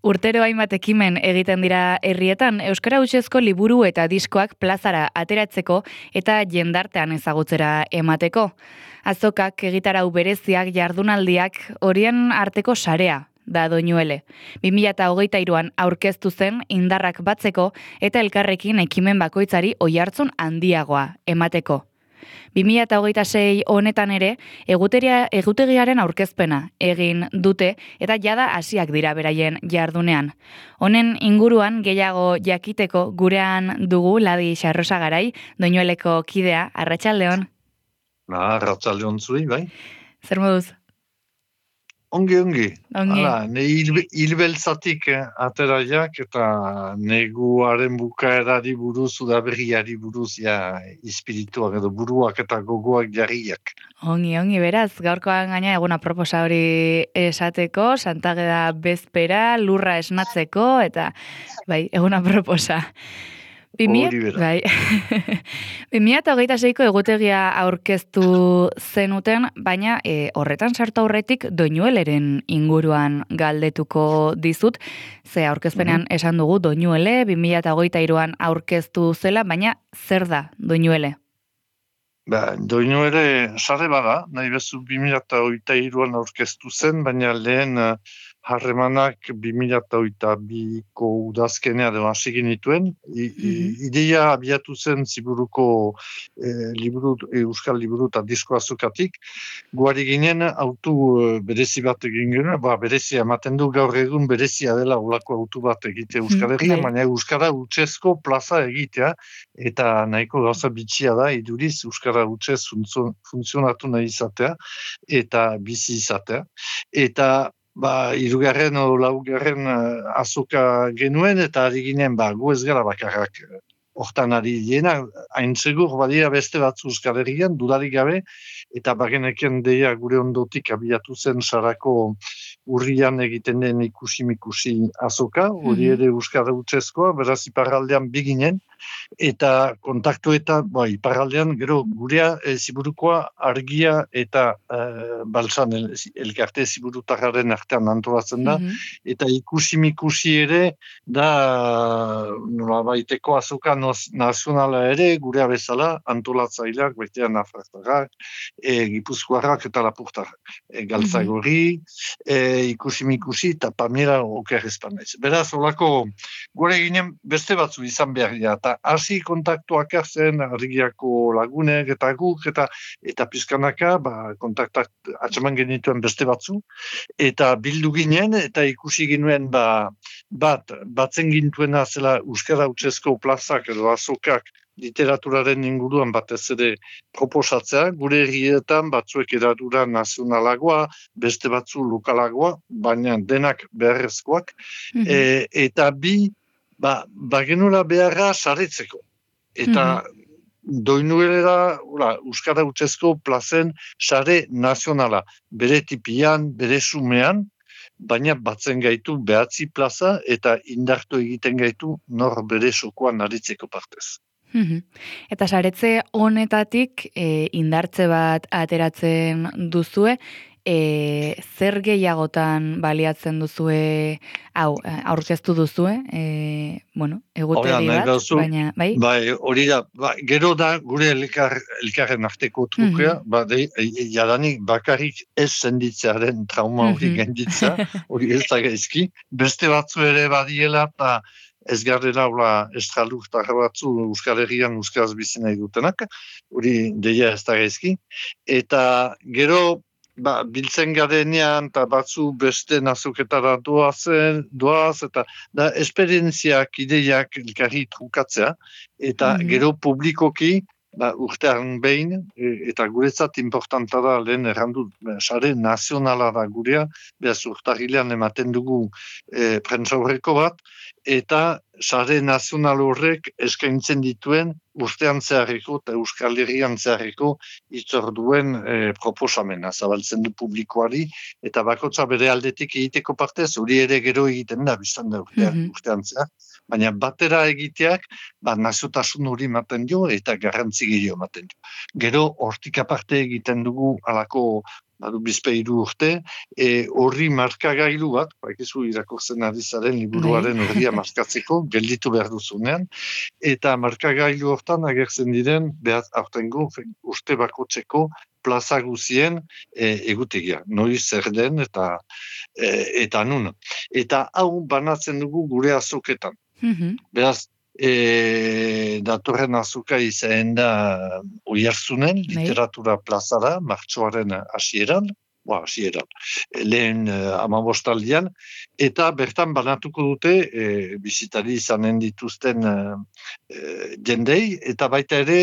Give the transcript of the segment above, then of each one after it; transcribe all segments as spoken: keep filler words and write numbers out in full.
Urtero hainbat ekimen egiten dira herrietan, euskara hutsezko liburu eta diskoak plazara ateratzeko eta jendartean ezagutzera emateko. Azokak, egitarau bereziak, jardunaldiak, horien arteko sarea da Doinuele. bi mila hogeita hiruan aurkeztu zen indarrak batzeko eta elkarrekin ekimen bakoitzari oihartzun handiagoa emateko. bi mila hogeita sei honetan ere, eguteria, egutegiaren aurkezpena egin dute eta jada hasiak dira beraien jardunean. Honen inguruan gehiago jakiteko gurean dugu Ladi Xarrosagarai, Doinueleko kidea, arratsaldeon. Ba, arratsaldeon zuri, bai. Zer moduz? Ongi, ongi. Ongi. Hala, ne hilbeltzatik eh, ateraiak eta neguaren bukaerari buruz, udaberriari buruz, ja, espirituak edo buruak eta gogoak jarriak. Ongi, ongi, beraz, gaurkoan gaina eguna proposa hori esateko, Santageda bezpera, lurra esnatzeko, eta, bai, eguna proposa. Hori bera. Bai. bi mila hogeita seiko egutegia aurkeztu zenuten, baina e, horretan sartu aurretik Doinueleren inguruan galdetuko dizut, ze aurkezpenean Mhm. esan dugu Doinuele, bi mila hogeita hiruan aurkeztu zela, baina zer da Doinuele? Ba, Doinuele sare bada, nahi bezu bi mila hogeita hiruan aurkeztu zen, baina lehen uh, harremanak bi mila hogeita biko udazkenea edo hasi genituen. I, i, ideia abiatu zen ziburuko eh, liburu, euskal liburu eta disko azukatik. Guari ginen autu eh, berezi bat egin genuen, ba, berezia ematen du gaur egun berezia dela olako autu bat egite Euskal Herrian, baina euskara hutsezko plaza egitea, eta nahiko gauza bitxia da, iduriz euskara hutsez funtzionatu nahi izatea, eta bizi izatea. Eta ba, irugarren o laugarren uh, azoka genuen, eta ari ginen, ba, gu ez gara bakarrak uh, hortan ari diena, hain segur badira beste batzu Euskal Herrian, dudarik gabe, eta bageneken deia gure ondotik abiatu zen sarako urrian egiten den ikusi-mikusi azoka, hori ere euskara hutsezkoa, beraz iparraldean biginen, eta kontaktu eta ba, iparraldean gero gurea e, ziburukoa argia eta e, baltzan el, elkarte ziburutarraren artean antolatzen da, eta ikusi-mikusi ere da nolabaiteko azoka nazionala ere gurea bezala antolatzaileak, baitean nafartarrak, e, gipuzkoarrak eta lapurtarrak. E, galtzagorri, e, ikusi-mikusi eta pamera oker espanaiz. Beraz, olako gore ginen beste batzu izan behar dira, eta hasi kontaktuak hartzen argiako lagunek eta guk, eta eta pizkanaka, ba, kontaktak atxaman genituen beste batzu, eta bildu ginen, eta ikusi ginuen, ba, bat, batzen gintuena zela euskara hutsezko plazak edo azokak literaturaren inguruan batez ere proposatzea, gure herrietan batzuek eradura nazionalagoa, beste batzu lokalagoa, baina denak beharrezkoak, e, eta bi, ba, bagenura beharra saretzeko. Eta Doinuelera, euskara hutsezko plazen sare nazionala, bere tipian, bere sumean, baina batzen gaitu behatzi plaza eta indartu egiten gaitu nor bere sokoan aritzeko partez. Eta saretze honetatik e, indartze bat ateratzen duzue, e, zer gehiagotan baliatzen duzue, hau, aurkeztu duzue, e, bueno, egutegi bat, dauzu, baina, bai? Bai, hori da, ba, gero da gure elkar, elkarren arteko trukea, ba, de, e, jadanik bakarrik ez senditzearen trauma hori gainditza, hori ez da gaizki, beste batzu ere badiela, eta ez garrera estralurtarra batzu Euskal Herrian euskaraz bizi nahi dutenak, hori deia ez da gaizki. Eta gero, ba, biltzen garenean, eta batzu beste nazoketara doazen, doaz, eta da esperientziak, ideiak elkarri trukatzea, eta gero publikoki, ba, urtean behin, eta guretzat importanta da lehen errandu, sare nazionala da gurea, behaz urtarrilean ematen dugu e, prentsa horreko bat, eta sare nazional horrek eskaintzen dituen urtean zeharreko eta Euskal Herrian zeharreko itzorduen e, proposamena zabaltzen du publikoari, eta bakotza bere aldetik egiteko partez, hori ere gero egiten da, biztan da urtean, urtean zehar, baina batera egiteak, ba, naziotasun hori ematen dio eta garrantzi gehiago ematen dio. Gero, hortik aparte egiten dugu alako badu bizpeiru urte, e, horri markagailu bat, baikizu irakurtzen ari zaren liburuaren horria markatzeko, gelditu behar duzunean, eta markagailu hortan agertzen diren, behar aurtengo, uste bakotzeko plaza guzien e, egutegia, noiz zer den eta, e, eta nun. Eta hau banatzen dugu gure azoketan. Mhm. Beraz, E, datorren azuka izan da Oiartzunen, literatura plazara, martxoaren hasieran, ba, hasieran, lehen uh, amabostaldian, eta bertan banatuko dute e, bizitari izanen dituzten uh, e, jendei, eta baita ere,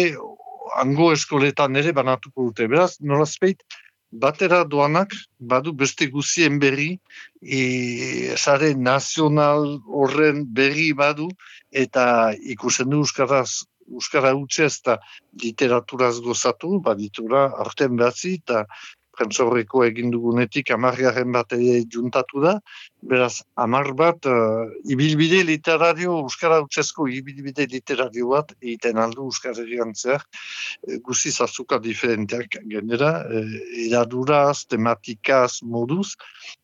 hango eskoletan ere banatuko dute. Beraz, nolazpeit, batera doanak, badu beste guzien berri, e, sare nazional horren berri badu, eta ikusten du euskaraz, euskara hutsez eta literaturaz gozatu, baditura arten behatzi, eta prentsorreko egin dugunetik amargarren bat ere juntatu da, beraz, amar bat, uh, ibilbide literario, euskara hutsezko ibilbide literario bat, egiten aldu euskara egantzeak, guziz azuka diferenteak genera, eh, eraduraz, tematikaz, moduz,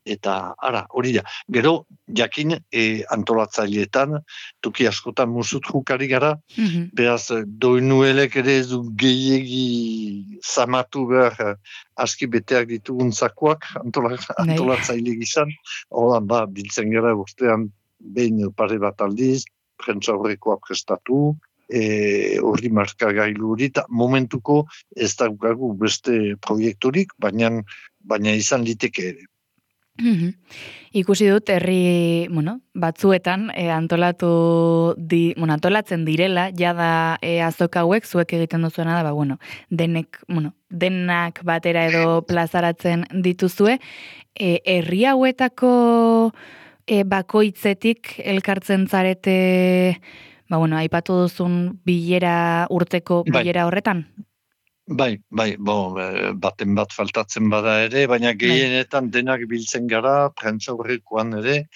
eta ara, hori da. Gero, jakin, e, antolatzaileetan, toki askotan musut jukari gara, Mhm. beraz, doinuelek ere ez du gehiegi zamatu behar aski beteak ditugun zakoak antola, antolatzaile gizan, horan, ba, biltzen gara urtean behin pare bat aldiz, prentsa horrekoa prestatu, E, horri markagailu hori, eta momentuko ez daukagu beste proiekturik, baina, baina izan liteke ere. Mm-hmm. Ikusi dut herri, bueno, batzuetan e, antolatu di, bueno, antolatzen direla, jada e, azoka hauek zuek egiten duzuena da, ba, bueno, denek, bueno, denak batera edo plazaratzen dituzue, e, herri hauetako e, bakoitzetik elkartzen zarete, ba, bueno, aipatu duzun bilera urteko bilera horretan? Bai, bai, bo, baten bat faltatzen bada ere, baina gehienetan denak biltzen gara, prentsa horrekoan ere,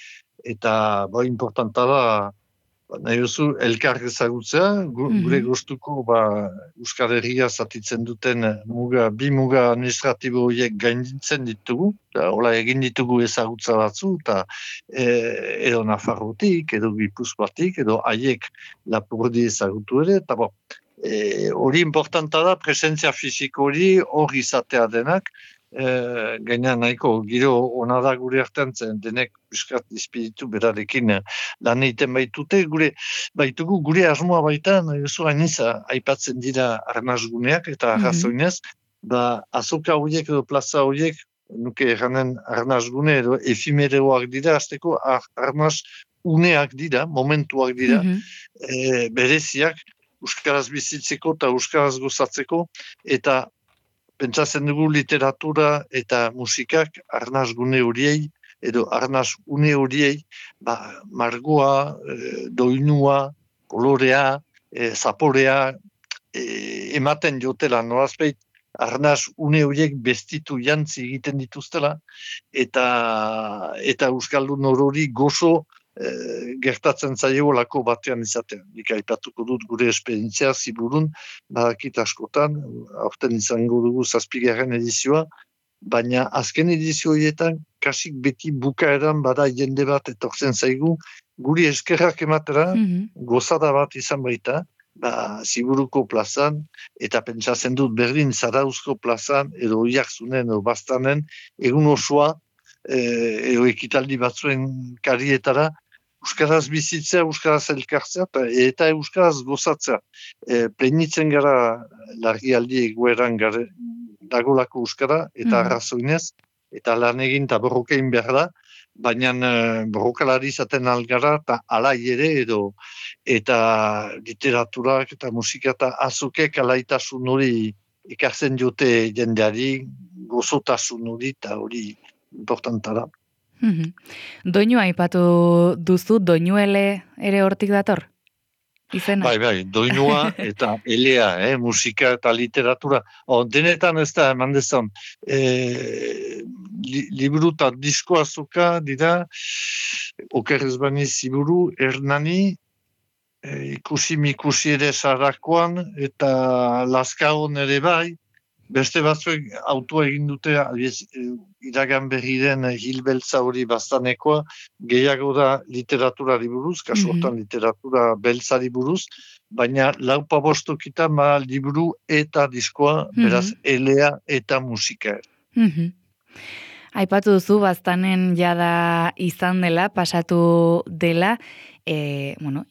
eta bo, importanta da, nahi duzu, elkar ezagutzea, gu, mm-hmm. gure gustuko, ba, Euskal Herria zatitzen duten muga, bi muga administratibo horiek gainditzen ditugu, da, hola egin ditugu ezagutza batzu, eta e, edo Nafarrotik, edo Gipuzkoatik, edo haiek Lapurdi ezagutu ere, eta bo, E, hori importanta da, presentzia fisiko hori hori izatea denak, e, gaina nahiko giro ona da gure artean zen denek biskat espiritu berarekin lan egiten baitute, gure baitugu gure asmoa baita, nahi duzu hainiza aipatzen dira arnazguneak eta arrazoinez, mm-hmm. da azoka horiek edo plaza horiek, nuke erranen arnazgune edo efimereoak dira, azteko arnaz uneak dira, momentuak dira, mm-hmm. e, bereziak, euskaraz bizitzeko eta euskaraz gozatzeko, eta pentsatzen dugu literatura eta musikak arnaz gune horiei, edo arnaz une horiei, ba, margoa, e, doinua, kolorea, e, zaporea, e, ematen jotela, norazpeit, arnaz une horiek bestitu jantzi egiten dituztela, eta, eta euskaldun horori gozo, E, gertatzen zaio lako batean izatea. Nik aipatuko dut gure esperientzia ziburun, badakit askotan, aurten izango dugu zazpigarren edizioa, baina azken edizioietan kasik beti bukaeran bada jende bat etortzen zaigu, guri eskerrak ematera, mm-hmm. gozada bat izan baita, ba, ziburuko plazan, eta pentsatzen dut berdin Zarauzko plazan, edo Oiartzunen, edo Baztanen, egun osoa, e, edo ekitaldi batzuen karietara, euskaraz bizitzea, euskaraz elkartzea, eta euskaraz gozatzea. E, plenitzen gara larrialdi egoeran gare, dagolako euskara, eta mm. arrazoinez, eta lan egin eta borrokein behar da, baina e, borrokalari izaten algara, eta alai ere, edo, eta literaturak, eta musika, eta azokek alaitasun hori ikartzen jote jendeari, gozotasun hori, eta hori importanta da. Mm-hmm. Doinua aipatu duzu, doinuele ere hortik dator? Izena? Bai, bai, doinua eta elea, eh, musika eta literatura. O, denetan ez da, eman dezan, e, li, liburu eta disko azoka dira, okerrez bani ziburu, Hernani, e, ikusi mikusi ere sarakoan, eta Laskaon ere bai, Beste batzuek autoa egin dute, albiz, iragan berri den hilbeltza hori bastanekoa, gehiago da literaturari buruz, kasu hortan literatura beltzari buruz, baina lau pabostokita ma liburu eta diskoa, beraz, elea eta musika. Mm-hmm. Aipatu duzu, baztanen jada izan dela, pasatu dela, e, bueno,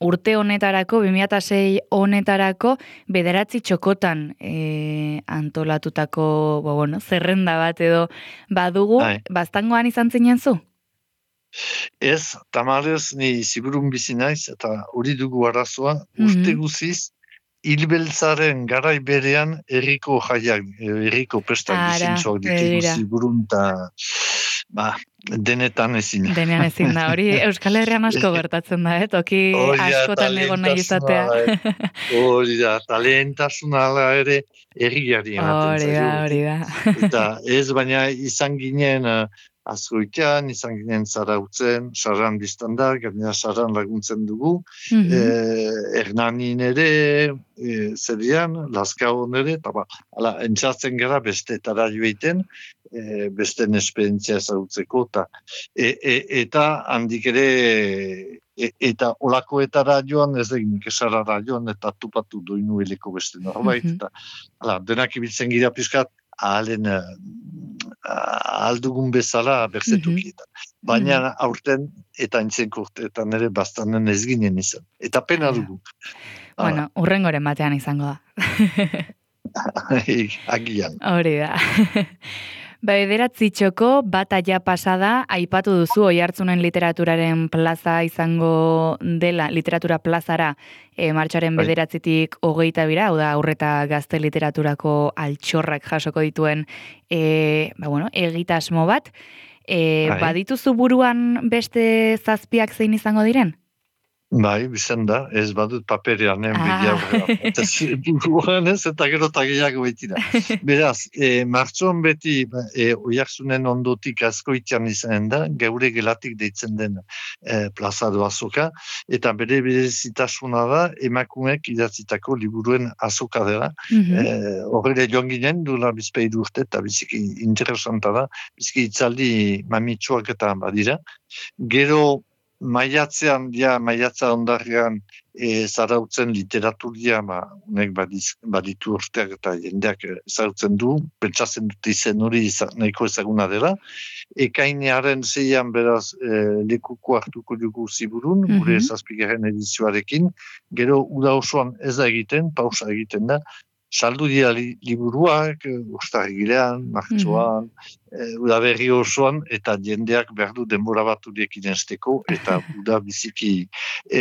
urte honetarako, bi mila sei honetarako, bederatzi txokotan e, antolatutako, bo, bueno, zerrenda bat edo badugu, Ai. Baztangoan izan zinen zu? Ez, tamarez, ni ziburun bizi naiz, eta hori dugu arazoa, urte guziz, hilbeltzaren garai berean herriko jaiak, herriko pestak bizintzoak ditugu ziburun, eta ba, denetan ezin. Denean ezin da, hori Euskal Herrian asko gertatzen da, eh? Toki askotan egon nahi izatea. Hori da, talentasuna ala ere herriari ematen zaio. Hori da, hori da. Eta ez, baina izan ginen Azkoitian, izan ginen Zarautzen, Sarran biztanda, gainera Sarran laguntzen dugu, mm-hmm. e, Hernanin ere, e, zerian, Lazkaon ere, eta ba, ala, entzatzen gara bestetara joeiten, e, besten esperientzia ezagutzeko, eta, e, e, eta handik ere, e, eta olakoetara joan, ez egin kesarara joan, eta tupatu doinu heleko beste norbait, mm-hmm. eta ala, denak ibiltzen gira pizkat, ahalen aldugun bezala berzetukietan. Mm-hmm. Baina mm-hmm. aurten eta intzenko urteetan ere bastanen ez ginen izan. Eta pena dugu. Bueno, ah. urrengoren batean izango da. Agian. Hori da. Bederatzi txoko, bata ja pasada, aipatu duzu Oiartzunen literaturaren plaza izango dela, literatura plazara, e, martxoaren bederatzitik hogeita bira, hau da, aurreta gazte literaturako altxorrak jasoko dituen, e, ba, bueno, egitasmo bat. E, badituzu buruan beste zazpiak zein izango diren? Bai, bizan da, ez badut paperean, eh, ah. Eta buruan ez, eta gero eta gehiago baitira. Beraz, e, martxoan beti e, Oiartzunen ondotik Azkoitian izan da, geure gelatik deitzen den e, plaza azoka, eta bere berezitasuna da, emakumeek idatzitako liburuen azoka dela. Mm-hmm. Horre joan ginen, duela bizpeiru urte, eta biziki interesanta da, biziki itzaldi mamitsuak eta badira. Gero, maiatzean, ja, maiatza ondarrean e, zarautzen literaturia, ma, unek badiz, baditu urteak eta jendeak zarautzen du, pentsatzen dute izen hori nahiko ezaguna dela. Ekainearen zeian beraz e, lekuko hartuko dugu ziburun, mm-hmm. gure zazpigaren edizioarekin, gero uda osoan ez da egiten, pausa egiten da, saldu dira li, liburuak, urtarrilean, martxoan, mm-hmm. e, uda berri osoan, eta jendeak behar du denbora bat uriekin esteko, eta uda biziki e,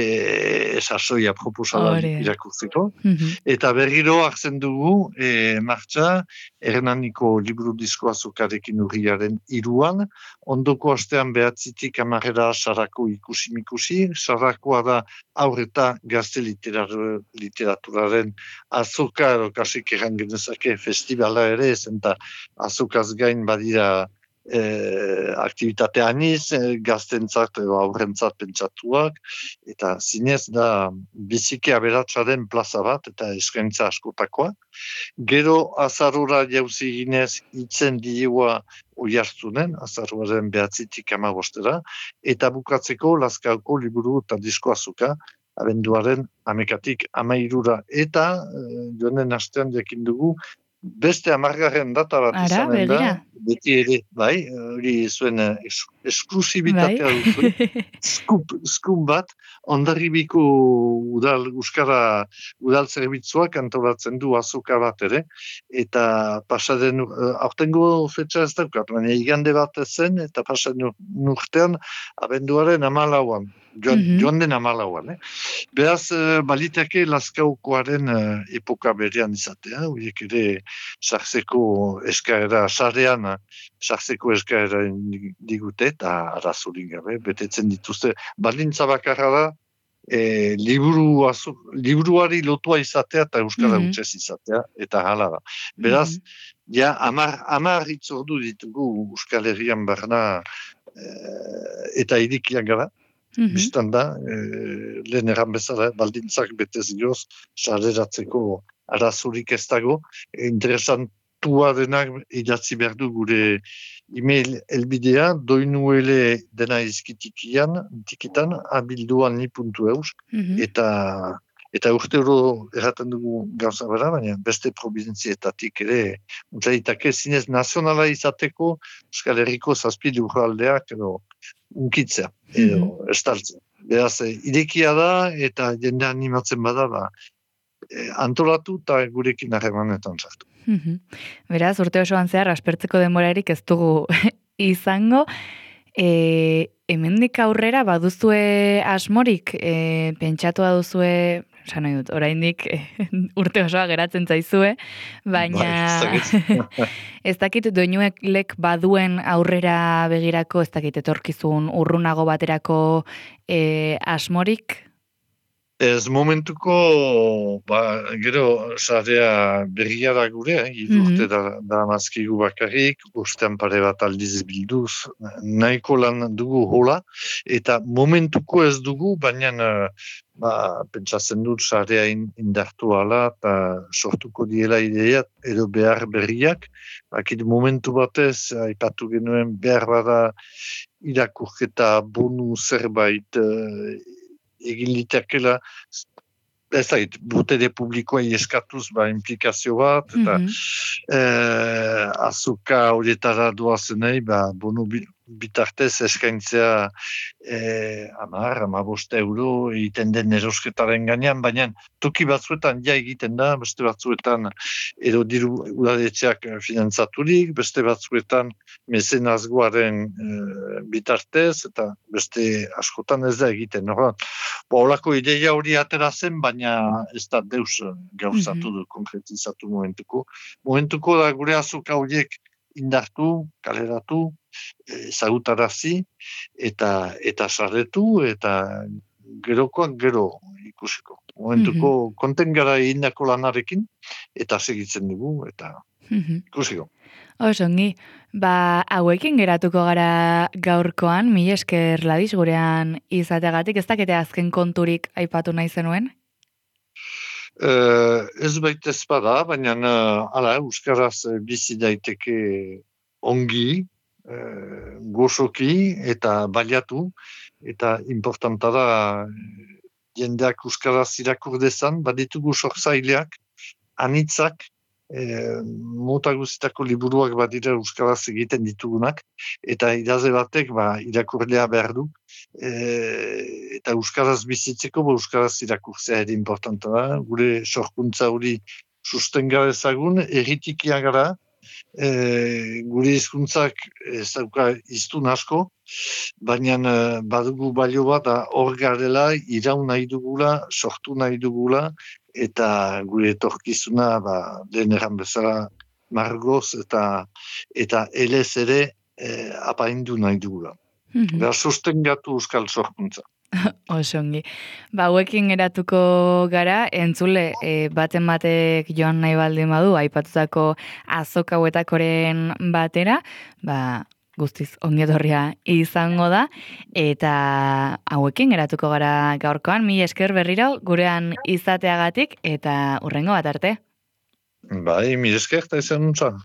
sasoia proposala irakurtzeko. Mm-hmm. Eta berriro hartzen dugu, e, martxa, Hernaniko liburu disko azokarekin urriaren iruan, ondoko astean behatzitik amarrera sarako ikusi-mikusi, sarakoa da aurreta gazte literar, literaturaren azoka, kasik egan genezake festivala ere, zenta azokaz gain badira e, aktivitate aniz, e, gaztentzat edo aurrentzat pentsatuak, eta zinez da biziki aberatsaren plaza bat, eta eskaintza askotakoa. Gero azarora jauzi ginez itzen dioa Oiartzunen, azaruaren behatzitik amabostera, eta bukatzeko Lazkaoko liburu eta disko azoka, abenduaren amekatik amairura, eta e, joanen astean jakin dugu, beste amargarren data bat izanen da, beti ere, bai, hori zuen es, esklusibitatea bai. Duzu, skup, skup bat, Hondarribiko udal, Euskara udal zerbitzuak antolatzen du azoka bat ere, eta pasaden, aurtengo fetxa ez daukat, baina igande bat zen, eta pasaden urtean, abenduaren amalauan, joan, mm-hmm. joan den amalauan. Eh? Beraz, balitake Lazkaukoaren epoka berean izatea, horiek ere sartzeko eskaera, sarean sartzeko eskaera digute, eta arazorik gabe, betetzen dituzte. Baldintza bakarra da, e, liburu azu, liburuari lotua izatea eta euskara mm-hmm. hutsez izatea, eta hala da. Beraz, mm-hmm. ja, amar, amar itzordu ditugu Euskal Herrian barna e, eta irikiak gara. Mm-hmm. Bistan da, e, lehen erran bezala, baldintzak betez gioz, sareratzeko arazurik ez dago. Interesant, tua denak idatzi behar du gure email elbidea, doinuele dena izkitikian, tikitan, abilduan ni puntu eus, Mhm. eta eta urte oro erraten dugu gauza bera, baina beste provinzietatik ere, utzaitake zinez nazionala izateko Euskal Herriko zazpi lurraldeak edo unkitzea, Mhm. edo estaltzea. Beraz, irekia da eta jende animatzen bada, ba, eh, antolatu eta gurekin harremanetan sartu. Mhm. Beraz, urte osoan zehar aspertzeko denborarik ez dugu izango. E, hemendik aurrera baduzue asmorik, e, pentsatua duzue, esan nahi dut, oraindik urte osoa geratzen zaizue, Bai, ez baina dakit. ez dakit doinuelek baduen aurrera begirako, ez dakit etorkizun urrunago baterako e, asmorik? Ez momentuko, ba, gero, sarea berria da gure, eh? Idurte Mhm. da, da mazkigu bakarrik, ustean pare bat aldiz bilduz, nahiko lan dugu hola, eta momentuko ez dugu, baina, ba, pentsatzen dut sarea in, indartu ala, eta sortuko diela ideia, edo behar berriak, bakit momentu batez, aipatu genuen behar bada irakurketa bonu zerbait, eh, egin litekela, ez da, botere publikoa eskatuz ba, implikazio bat, eta Mhm. eh, azuka horietara doazenei, ba, bonu bi- bitartez eskaintzea eh, amar, amabost euro egiten den erosketaren gainean, baina toki batzuetan ja egiten da, beste batzuetan edo diru udaletxeak finantzaturik, beste batzuetan mezenazgoaren eh, bitartez, eta beste askotan ez da egiten. Nora, Olako ideia hori atera zen, baina ez da deus gauzatu Mhm. du, konkretizatu momentuko. Momentuko da gure azoka horiek indartu, kaleratu, ezagutarazi, eta eta sarretu, eta gerokoak gero ikusiko. Mhm. Momentuko konten gara egindako lanarekin, eta segitzen dugu, eta Mhm. ikusiko. Oso ongi, ba, hauekin geratuko gara gaurkoan, mila esker Ladis gurean izateagatik, ez dakite azken konturik aipatu nahi zenuen? Uh, ez baita ez bada, baina uh, ala, Euskaraz eh, bizi daiteke ongi, uh, gozoki eta baliatu, eta importanta da eh, jendeak Euskaraz irakur dezan, baditugu sortzaileak, anitzak, eh, mota guztietako liburuak badira Euskaraz egiten ditugunak, eta idazle batek ba, irakurlea behar du, eh, eta Euskaraz bizitzeko, ba, Euskaraz irakurtzea ere importanta da, gure sorkuntza hori sustenga ezagun, erritikia gara, eh, gure hizkuntzak ez dauka hiztun asko, baina eh, badugu balio bat da hor garela, iraun nahi dugula, sortu nahi dugula, eta gure etorkizuna ba, lehen erran bezala margoz eta eta elez ere eh, apaindu nahi dugula. Mhm. Beraz, sostengatu euskal sorkuntza. Oso ongi. Ba, hauekin geratuko gara, entzule, e, baten batek joan nahi baldin badu, aipatutako azoka hauetakoren batera, ba, guztiz ongi etorria izango da, eta hauekin geratuko gara gaurkoan, mila esker berriro gurean izateagatik, eta hurrengo bat arte. Bai, mire esker, eta izan nuntza.